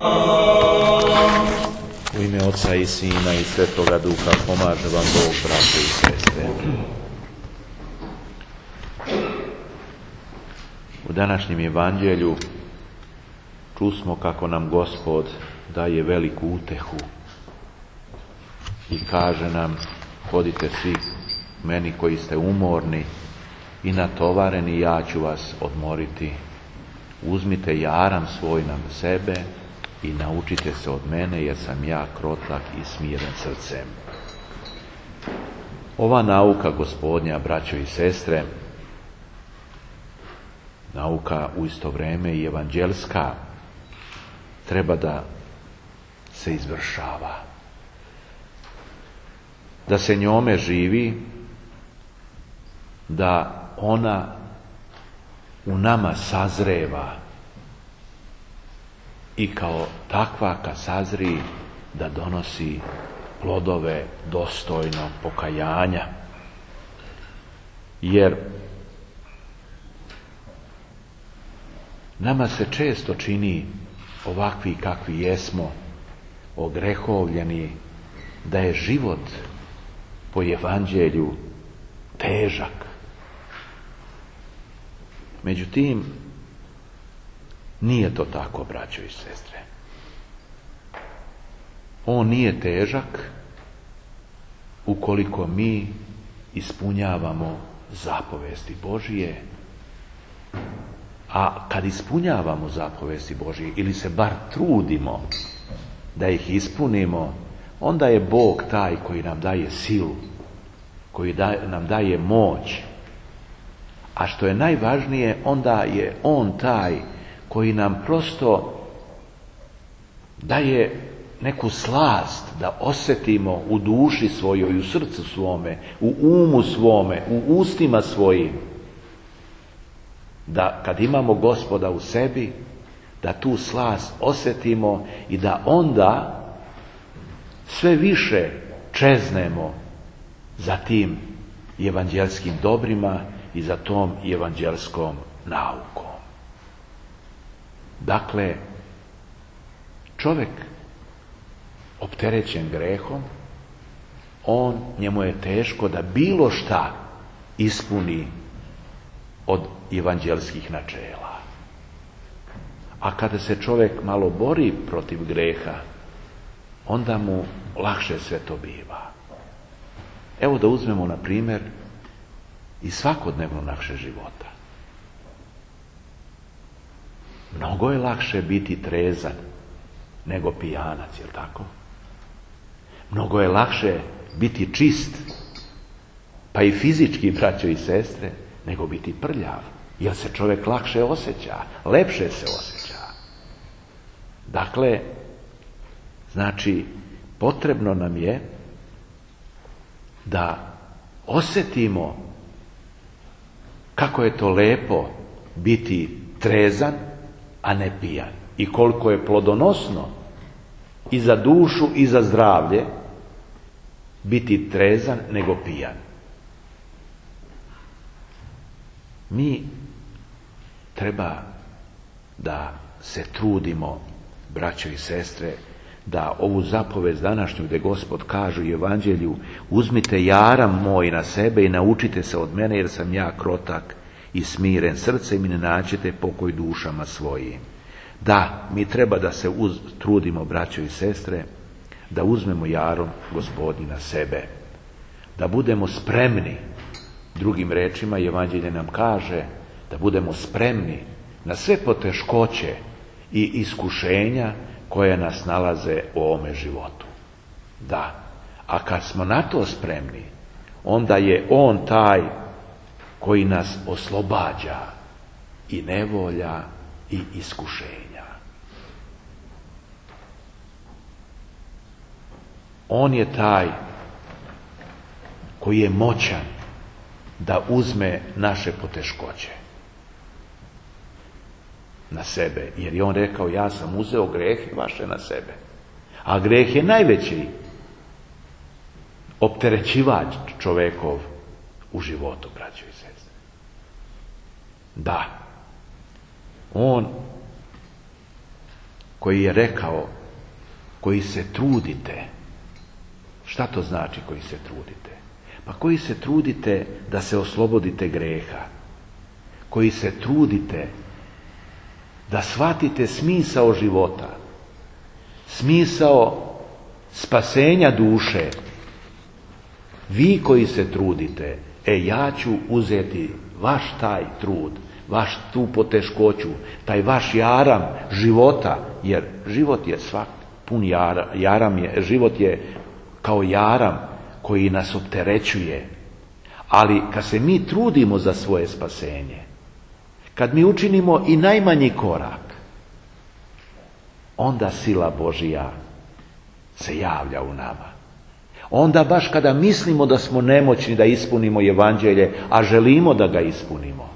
U ime Oca i Sina i Svetoga Duha pomaže vam Bog, braće i sestre. U današnjem evanđelju čusmo kako nam Gospod daje veliku utehu i kaže nam: hodite svi meni koji ste umorni i natovareni, ja ću vas odmoriti. Uzmite jaram svoj na sebe i naučite se od mene, jer sam ja krotak i smiren srcem. Ova nauka Gospodnja, braćo i sestre, nauka u isto vrijeme i evanđelska, treba da se izvršava, da se njome živi, da ona u nama sazreva i kao takva kad sazri da donosi plodove dostojnog pokajanja. Jer nama se često čini, ovakvi kakvi jesmo, ogrehovljeni, da je život po evanđelju težak. Međutim, nije to tako, braćo i sestre. On nije težak ukoliko mi ispunjavamo zapovesti Božije. A kad ispunjavamo zapovesti Božije, ili se bar trudimo da ih ispunimo, onda je Bog taj koji nam daje silu, koji nam daje moć. A što je najvažnije, onda je On taj koji nam prosto daje neku slast da osjetimo u duši svojoj, u srcu svome, u umu svome, u ustima svojim. Da kad imamo Gospoda u sebi, da tu slast osjetimo i da onda sve više čeznemo za tim evanđelskim dobrima i za tom evanđelskom naukom. Dakle, čovjek opterećen grehom, njemu je teško da bilo šta ispuni od evanđelskih načela. A kada se čovjek malo bori protiv greha, onda mu lakše sve to biva. Evo da uzmemo na primjer i svakodnevno naše života. Mnogo je lakše biti trezan nego pijanac, jel tako? Mnogo je lakše biti čist, pa i fizički, braćo i sestre, nego biti prljav, jer se čovjek lakše osjeća, lepše se osjeća. Dakle, znači, potrebno nam je da osjetimo kako je to lepo biti trezan, a ne pijan. I koliko je plodonosno i za dušu i za zdravlje biti trezan nego pijan. Mi treba da se trudimo, braćo i sestre, da ovu zapovest današnju gdje Gospod kaže u evanđelju: uzmite jaram moj na sebe i naučite se od mene, jer sam ja krotak i smiren srcem i ne naćete pokoj dušama svojim. Da, mi treba da se trudimo, braćo i sestre, da uzmemo jarom Gospodnji na sebe, da budemo spremni. Drugim rečima, evanđelje nam kaže da budemo spremni na sve poteškoće i iskušenja koje nas nalaze u ovome životu. Da, a kad smo na to spremni, onda je On taj koji nas oslobađa i nevolja i iskušenja. On je taj koji je moćan da uzme naše poteškoće na sebe. Jer je On rekao: ja sam uzeo grehe vaše na sebe. A greh je najveći opterećivač čovekov u životu, braćo i sestre. Da, On koji je rekao, koji se trudite. Šta to znači koji se trudite? Pa koji se trudite da se oslobodite greha. Koji se trudite da shvatite smisao života. Smisao spasenja duše. Vi koji se trudite, ja ću uzeti vaš taj trud, vaš tu poteškoću, taj vaš jaram života, jer život je svak pun jaram je, život je kao jaram koji nas opterećuje. Ali kad se mi trudimo za svoje spasenje, kad mi učinimo i najmanji korak, onda sila Božija se javlja u nama. Onda baš kada mislimo da smo nemoćni da ispunimo evanđelje, a želimo da ga ispunimo,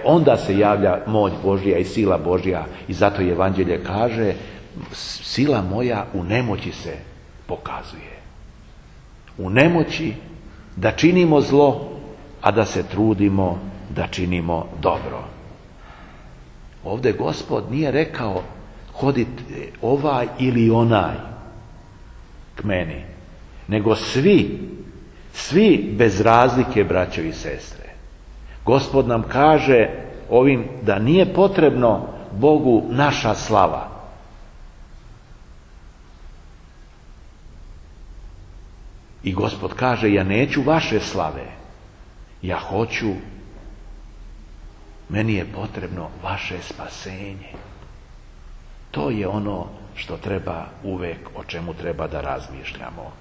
onda se javlja moć Božja i sila Božja. I zato evanđelje kaže, sila moja u nemoći se pokazuje. U nemoći da činimo zlo, a da se trudimo da činimo dobro. Ovdje Gospod nije rekao hodite ovaj ili onaj k meni, nego svi bez razlike, braćo i sestre. Gospod nam kaže ovim da nije potrebno Bogu naša slava. I Gospod kaže, ja neću vaše slave, ja hoću, meni je potrebno vaše spasenje. To je ono što treba uvek, o čemu treba da razmišljamo.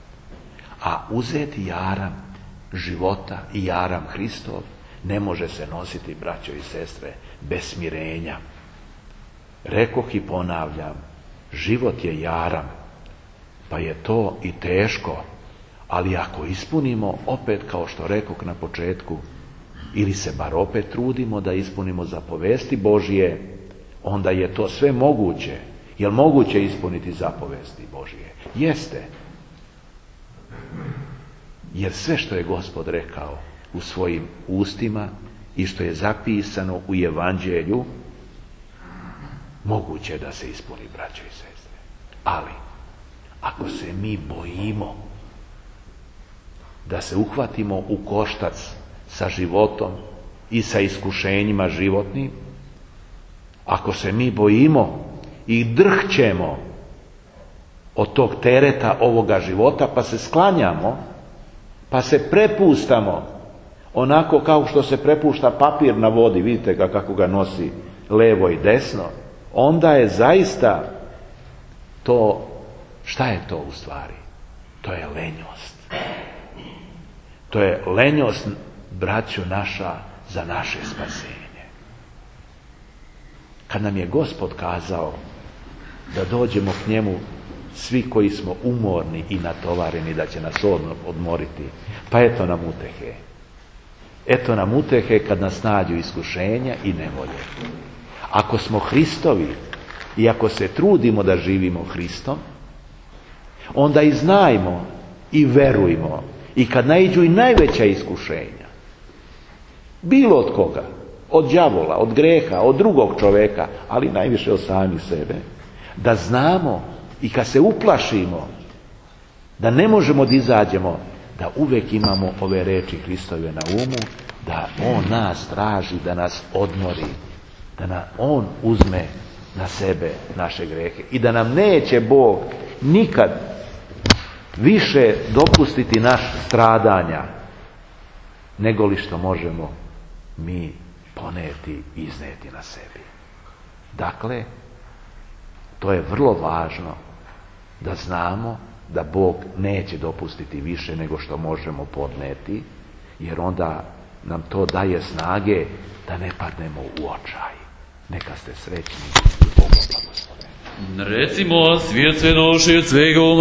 A uzeti jaram života i jaram Hristov ne može se nositi, braćo i sestre, bez smirenja. Rekoh i ponavljam, život je jaram, pa je to i teško, ali ako ispunimo, opet kao što rekoh na početku, ili se bar opet trudimo da ispunimo zapovesti Božje, onda je to sve moguće. Je li moguće ispuniti zapovesti Božje? Jeste. Jer sve što je Gospod rekao u svojim ustima i što je zapisano u evanđelju, moguće je da se ispuni, braćo i sestre. Ali, ako se mi bojimo da se uhvatimo u koštac sa životom i sa iskušenjima životnim, ako se mi bojimo i drhćemo od tog tereta ovoga života, pa se sklanjamo, pa se prepustamo onako kao što se prepušta papir na vodi, vidite ga kako ga nosi levo i desno, onda je zaista to, šta je to u stvari? To je lenjost. To je lenjost, braćo naša, za naše spasenje. Kad nam je Gospod kazao da dođemo k njemu svi koji smo umorni i natovareni, da će nas odmoriti, pa eto nam utehe. Eto nam utehe kad nas nađu iskušenja i nevolje. Ako smo Hristovi i ako se trudimo da živimo Hristom, onda i znajmo i verujmo, i kad naiđu i najveća iskušenja, bilo od koga, od đavola, od greha, od drugog čoveka, ali najviše od samih sebe, da znamo i kad se uplašimo da ne možemo da izađemo, da uvek imamo ove reči Hristove na umu, da On nas traži da nas odmori, da On uzme na sebe naše grehe i da nam neće Bog nikad više dopustiti naš stradanja nego li što možemo mi poneti i izneti na sebi. Dakle, to je vrlo važno da znamo da Bog neće dopustiti više nego što možemo podneti, jer onda nam to daje snage da ne padnemo u očaj. Neka ste srećni i Bog blagoslovi. Recimo, svijet sve noši od svega